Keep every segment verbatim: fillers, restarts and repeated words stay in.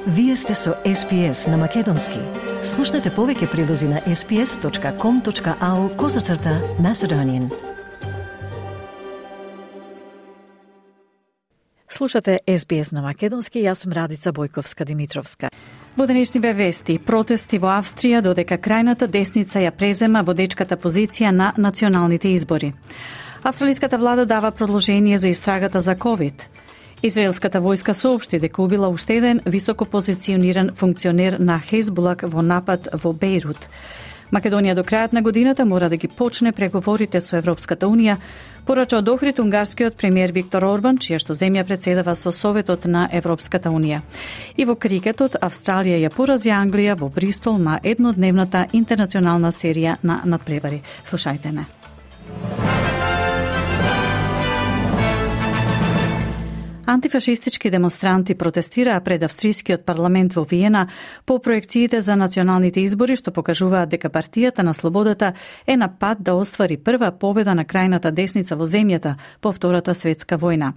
Вие сте со Ес Би Ес на Македонски. Слушнете повеќе прилози на ес би ес точка ком точка ау козацрта Macedonian. Слушате Ес Би Ес на Македонски, јас сум Радица Бојковска-Димитровска. Во денешниве вести, протести во Австрија додека крајната десница ја презема водечката позиција на националните избори. Австралиската влада дава продолжение за истрагата за ковид. Израелската војска соопшти дека убила уште еден високо позициониран функционер на Хезбулак во напад во Бејрут. Македонија до крајот на годината мора да ги почне преговорите со Европската Унија, порача од Охрид унгарскиот премиер Виктор Орбан, чија што земја председава со Советот на Европската Унија. И во крикетот, Австралија ја порази Англија во Бристол на еднодневната интернационална серија на надпревари. Слушајте не. Антифашистички демонстранти протестираа пред австрискиот парламент во Виена по проекциите за националните избори што покажуваат дека партијата на слободата е на пат да оствари прва победа на крајната десница во земјата по Втората светска војна.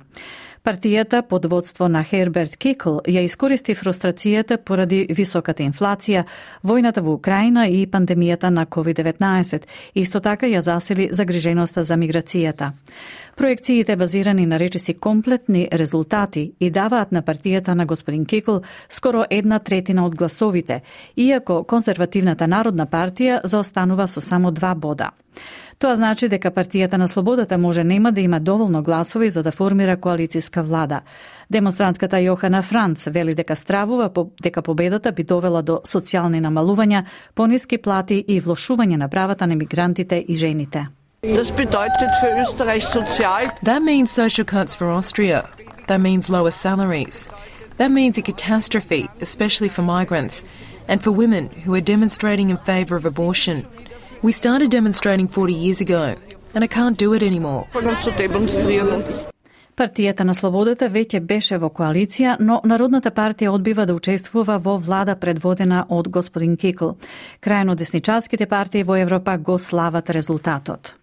Партијата под водство на Херберт Кикл ја искористи фрустрацијата поради високата инфлација, војната во Украина и пандемијата на ковид деветнаесет. Исто така ја засили загриженоста за миграцијата. Проекциите базирани на речиси комплетни резултати и даваат на партијата на господин Кикл скоро една третина од гласовите, иако конзервативната народна партија заостанува со само два бода. Тоа значи дека партијата на слободата може нема да има доволно гласови за да формира коалицијска влада. Демонстрантката Јохана Франц вели дека стравува дека победата би довела до социјални намалувања, пониски плати и влошување на правата на мигрантите и жените. That means social cuts for Austria. That means lower salaries. That means a catastrophe, especially for migrants and for women who are demonstrating in favour of abortion. We started demonstrating forty years ago, and I can't do it anymore. Партијата на слободата веќе беше во коалиција, но Народната партија одбива да учествува во влада предводена од господин Кикл. Крајно десничарските партии во Европа го слават резултатот.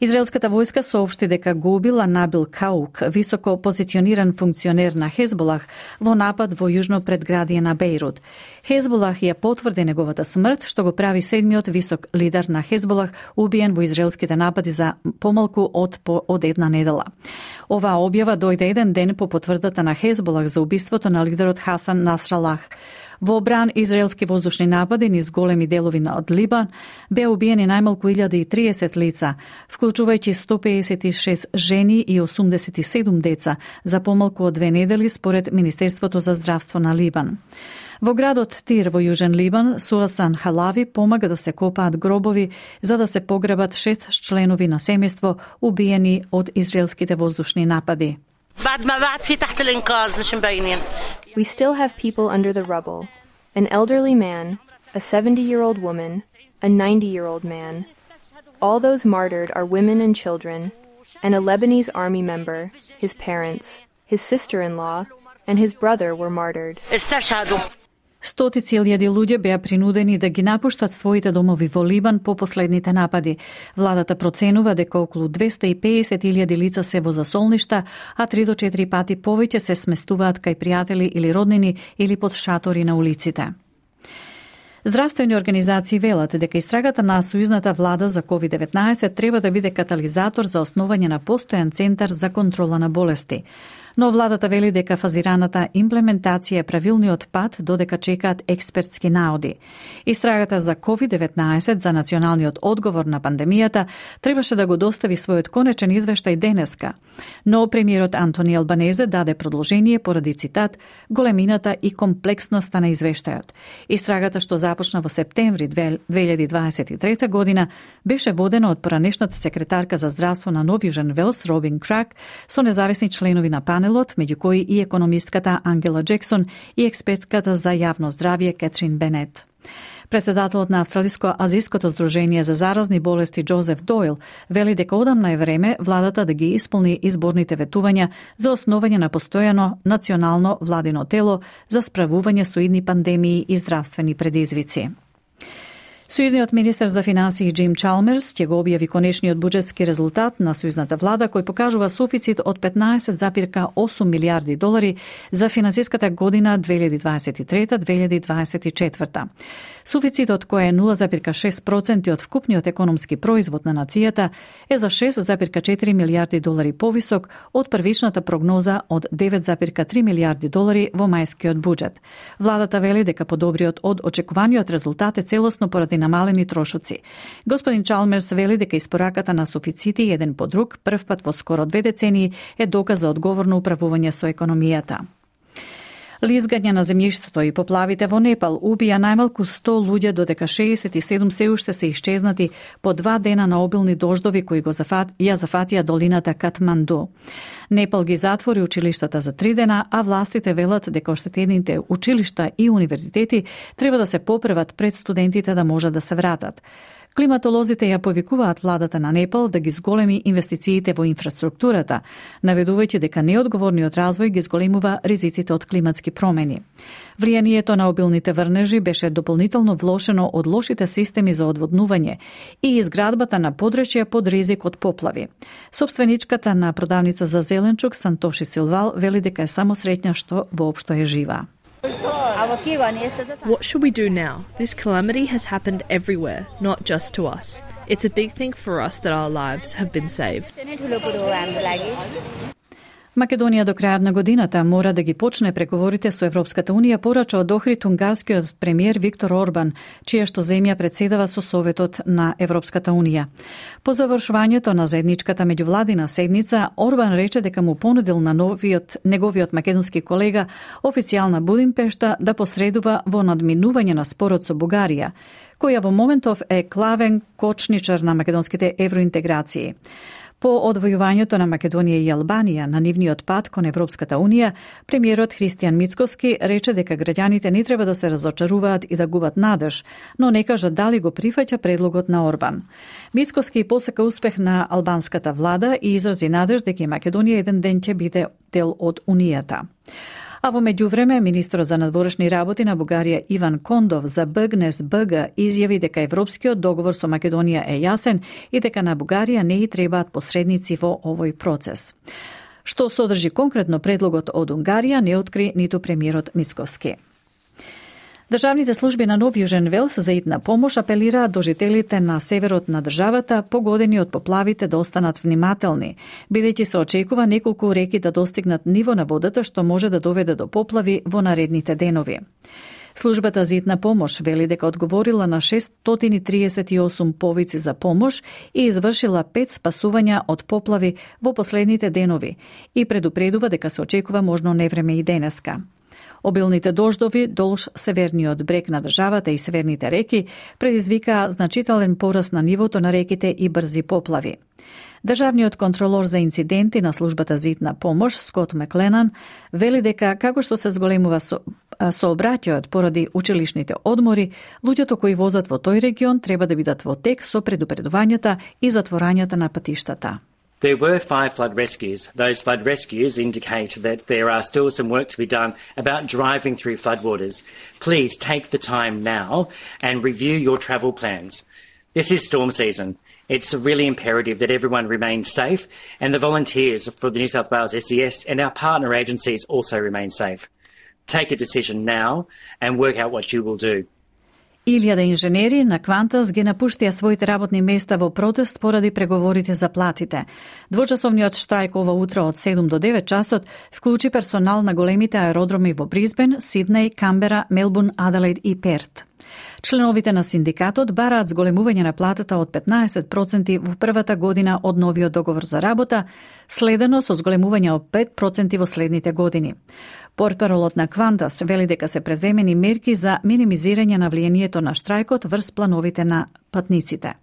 Израелската војска соопшти дека го убила Набил Каук, високо позициониран функционер на Хезболах, во напад во јужно предградие на Бејрут. Хезболах ја потврди неговата смрт, што го прави седмиот висок лидер на Хезболах убиен во израелските напади за помалку од по, од една недела. Оваа објава дојде еден ден по потврдата на Хезболах за убиството на лидерот Хасан Насралах. Во бран израелски воздушни напади низ големи делови од Либан беа убиени најмалку илјада и триесет лица, вклучувајќи сто пеесет и шест жени и осумдесет и седум деца за помалку од две недели според Министерството за здравство на Либан. Во градот Тир во Јужен Либан, Суасан Халави помага да се копаат гробови за да се погребат шест членови на семејство убиени од израелските воздушни напади. We still have people under the rubble. An elderly man, a seventy-year-old woman, a ninety-year-old man. All those martyred are women and children, and a Lebanese army member, his parents, his sister-in-law, and his brother were martyred. Стотици илјади луѓе беа принудени да ги напуштат своите домови во Либан по последните напади. Владата проценува дека околу двесте и пеесет илјади лица се во засолништа, а три до четири пати повеќе се сместуваат кај пријатели или роднини или под шатори на улиците. Здравствени организации велат дека истрагата на сојузната влада за ковид деветнаесет треба да биде катализатор за основање на постојан центар за контрола на болести. Но владата вели дека фазираната имплементација е правилниот пат додека чекаат експертски наоди. Истрагата за ковид деветнаесет за националниот одговор на пандемијата требаше да го достави својот конечен извештај денеска, но премиерот Антони Албанезе даде продолжение поради цитат големината и комплексноста на извештајот. Истрагата што започна во септември две илјади дваесет и трета година беше водена од поранешната секретарка за здравство на Нов Јужен Велс Робин Крак со независни членови на панелот, меѓу кои и економистката Ангела Джексон и експертката за јавно здравје Кетрин Бенет. Председателот на Австралиско-азиското здружение за заразни болести Џозеф Дойл вели дека одамна е време владата да ги исполни изборните ветувања за основање на постојано национално владино тело за справување со идни пандемии и здравствени предизвици. Сојузниот министер за финансии Джим Чалмерс ќе го објави конечниот буџетски резултат на сојузната влада кој покажува суфицит од петнаесет зарез осум милијарди долари за финансиската година две илјади дваесет и трета - две илјади дваесет и четврта. Суфицитот кој е нула зарез шест проценти од вкупниот економски производ на нацијата е за шест зарез четири милијарди долари повисок од првичната прогноза од девет зарез три милијарди долари во мајскиот буџет. Владата вели дека подобриот од очекуваниот резултат е целосно поради намалени трошоци. Господин Чалмерс вели дека испораката на суфицити еден по друг, првпат во скоро две децении, е доказ за одговорно управување со економијата. Лизгање на земјиштето и поплавите во Непал убија најмалку сто луѓе, додека шеесет и седум се уште се исчезнати по два дена на обилни дождови кои го зафат, ја зафатија долината Катманду. Непал ги затвори училиштата за три дена, а властите велат дека оштетените училишта и универзитети треба да се поправат пред студентите да можат да се вратат. Климатолозите ја повикуваат владата на Непал да ги зголеми инвестициите во инфраструктурата, наведувајќи дека неодговорниот развој ги зголемува ризиците од климатски промени. Влијанието на обилните врнежи беше дополнително влошено од лошите системи за одводнување и изградбата на подречја под ризик од поплави. Собственичката на продавница за зеленчук Сантоши Силвал вели дека е само среќна што воопшто е жива. What should we do now? This calamity has happened everywhere, not just to us. It's a big thing for us that our lives have been saved. Македонија до крајот на годината мора да ги почне преговорите со Европската Унија, порача од Охрид унгарскиот премиер Виктор Орбан, чија што земја председава со Советот на Европската Унија. По завршувањето на заедничката меѓувладина седница, Орбан рече дека му понудил на новиот неговиот македонски колега официјална Будимпешта да посредува во надминување на спорот со Бугарија, која во моментов е клавен кочничар на македонските евроинтеграции. По одвојувањето на Македонија и Албанија на нивниот пат кон Европската Унија, премиерот Христијан Мицкоски рече дека граѓаните не треба да се разочаруваат и да губат надеж, но не кажа дали го прифаќа предлогот на Орбан. Мицкоски посака успех на албанската влада и изрази надеж дека и Македонија еден ден ќе биде дел од Унијата. А во меѓувреме, министрот за надворешни работи на Бугарија Иван Кондов за Бъгнес БГ изјави дека европскиот договор со Македонија е јасен и дека на Бугарија не и требаат посредници во овој процес. Што содржи конкретно предлогот од Унгарија не откри ниту премиерот Мицковски. Државните служби на Нов Јужен Велс за итна помош апелираат до жителите на северот на државата погодени од поплавите да останат внимателни, бидејќи се очекува неколку реки да достигнат ниво на водата што може да доведе до поплави во наредните денови. Службата за итна помош вели дека одговорила на шестстотини триесет и осум повици за помош и извршила пет спасувања од поплави во последните денови и предупредува дека се очекува можно невреме и денеска. Обилните дождови долж северниот брег на државата и северните реки предизвикаа значителен пораст на нивото на реките и брзи поплави. Државниот контролор за инциденти на службата за итна помош Скот Макленан вели дека како што се зголемува со, сообраќајот поради училишните одмори, луѓето кои возат во тој регион треба да бидат во тек со предупредувањата и затворањата на патиштата. There were five flood rescues. Those flood rescues indicate that there are still some work to be done about driving through floodwaters. Please take the time now and review your travel plans. This is storm season. It's really imperative that everyone remains safe and the volunteers for the New South Wales S E S and our partner agencies also remain safe. Take a decision now and work out what you will do. Илјада инженери на Квантас ги напуштија своите работни места во протест поради преговорите за платите. Двочасовниот штрајк ова утро од седум до девет часот вклучи персонал на големите аеродроми во Бризбен, Сиднеј, Камбера, Мелбурн, Аделаид и Перт. Членовите на синдикатот бараат зголемување на платата од петнаесет проценти во првата година од новиот договор за работа, следено со зголемување од пет проценти во следните години. Портпаролот на Квантас вели дека се преземени мерки за минимизирање на влијанието на штрајкот врз плановите на патниците.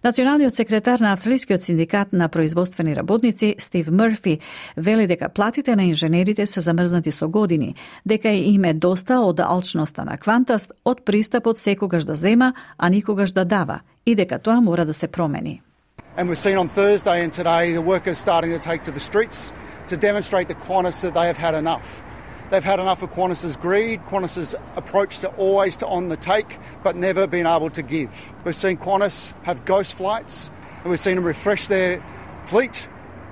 Националниот секретар на Австралискиот синдикат на производствени работници Стив Мърфи вели дека платите на инженерите се замрзнати со години, дека им е доста од алчноста на Квантас, од пристапот секогаш да зема, а никогаш да дава, и дека тоа мора да се промени. And we've seen on Thursday and today the workers starting to take to the streets to demonstrate to Qantas that they have had enough. They've had enough of Qantas's greed, Qantas's approach to always to on the take, but never been able to give. We've seen Qantas have ghost flights, and we've seen them refresh their fleet,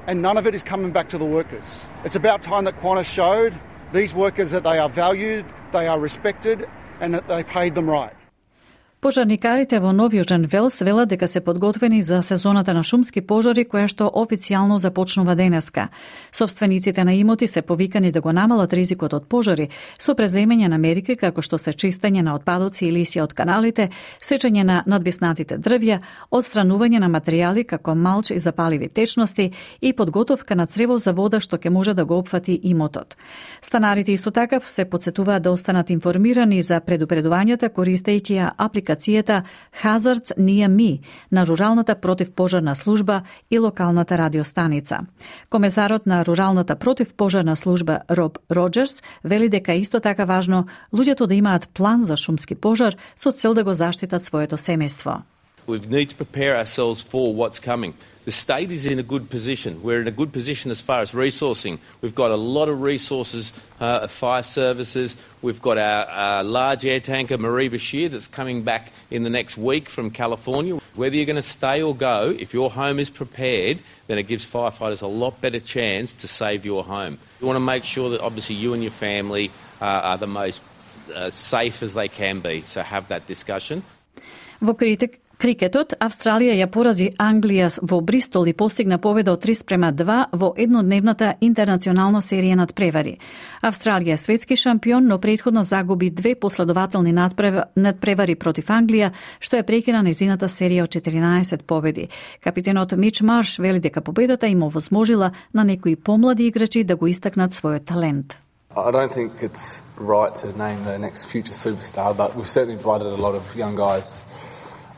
and none of it is coming back to the workers. It's about time that Qantas showed these workers that they are valued, they are respected, and that they paid them right. Пожарникарите во Нов Јужен Велс велат дека се подготвени за сезоната на шумски пожари која што официјално започнува денеска. Собствениците на имоти се повикани да го намалат ризикот од пожари со преземање на мерки како што се чистење на отпадоци и лисја од каналите, сечење на надвиснатите дрвја, одстранување на материјали како малч и запаливи течности и подготовка на црево за вода што ќе може да го опфати имотот. Станарите исто така се потсетуваат да останат информирани за предупредувањата користејќи ја апликацијата Hazards Near Me на Руралната противпожарна служба и локалната радиостаница. Комесарот на Руралната противпожарна служба Роб Роджерс вели дека исто така важно луѓето да имаат план за шумски пожар со цел да го заштитат своето семејство. We need to prepare ourselves for what's coming. The state is in a good position. We're in a good position as far as resourcing. We've got a lot of resources uh, of fire services. We've got our, our large air tanker, Marie Bashir, that's coming back in the next week from California. Whether you're going to stay or go, if your home is prepared, then it gives firefighters a lot better chance to save your home. You want to make sure that obviously you and your family uh, are the most uh, safe as they can be. So have that discussion. Во критик Крикетот, Австралија ја порази Англија во Бристол и постигна победа од три спрема два во еднодневната интернационална серија надпревари. Австралија е светски шампион, но претходно загуби две последователни надпревари против Англија, што е прекина незината серија од четиринаесет победи. Капитенот Мич Марш вели дека победата им овозможила на некои помлади играчи да го истакнат својот талент. I don't think it's right to name the next future superstar, but we've certainly blooded a lot of young guys.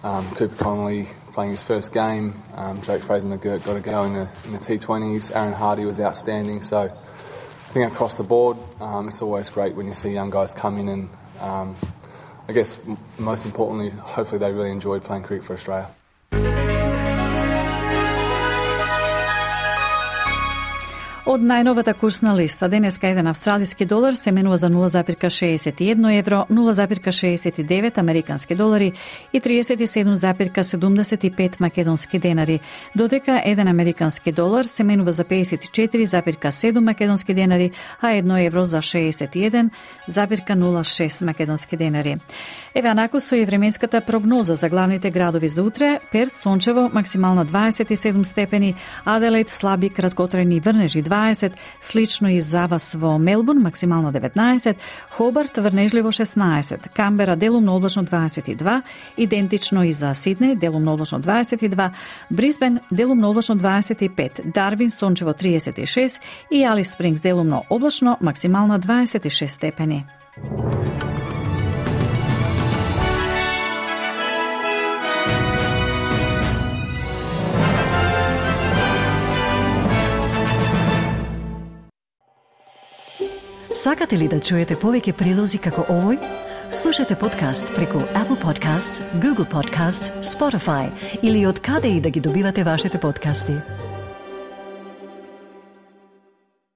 Um, Cooper Connolly playing his first game, um, Jake Fraser-McGirt got a go in the, in the T twenties, Aaron Hardy was outstanding, so I think across the board um, it's always great when you see young guys come in and um, I guess most importantly, hopefully they really enjoyed playing cricket for Australia. Од најновата курсна листа, денеска еден австралиски долар се менува за нула зарез шеесет и едно евро, нула зарез шеесет и девет американски долари и триесет и седум зарез седумдесет и пет македонски денари, додека еден американски долар се менува за пеесет и четири зарез седум македонски денари, а едно евро за шеесет и еден зарез нула шест македонски денари. Еве анаку со и временската прогноза за главните градови за утре: Перт сончево, максимална дваесет и седум степени, Аделаид слаби краткотрајни врнежи дваесет, слично и за вас во Мелбурн, максимална деветнаесет, Хобарт врнежливо шеснаесет, Камбера делумно облачно дваесет и два, идентично и за Сиднеј, делумно облачно дваесет и два, Брисбен делумно облачно дваесет и пет, Дарвин сончево триесет и шест и Алис Спрингс делумно облачно, максимална дваесет и шест степени. Сакате ли да чуете повеќе прилози како овој? Слушате подкаст преку Apple Podcasts, Google Podcasts, Spotify или од каде и да ги добивате вашите подкасти.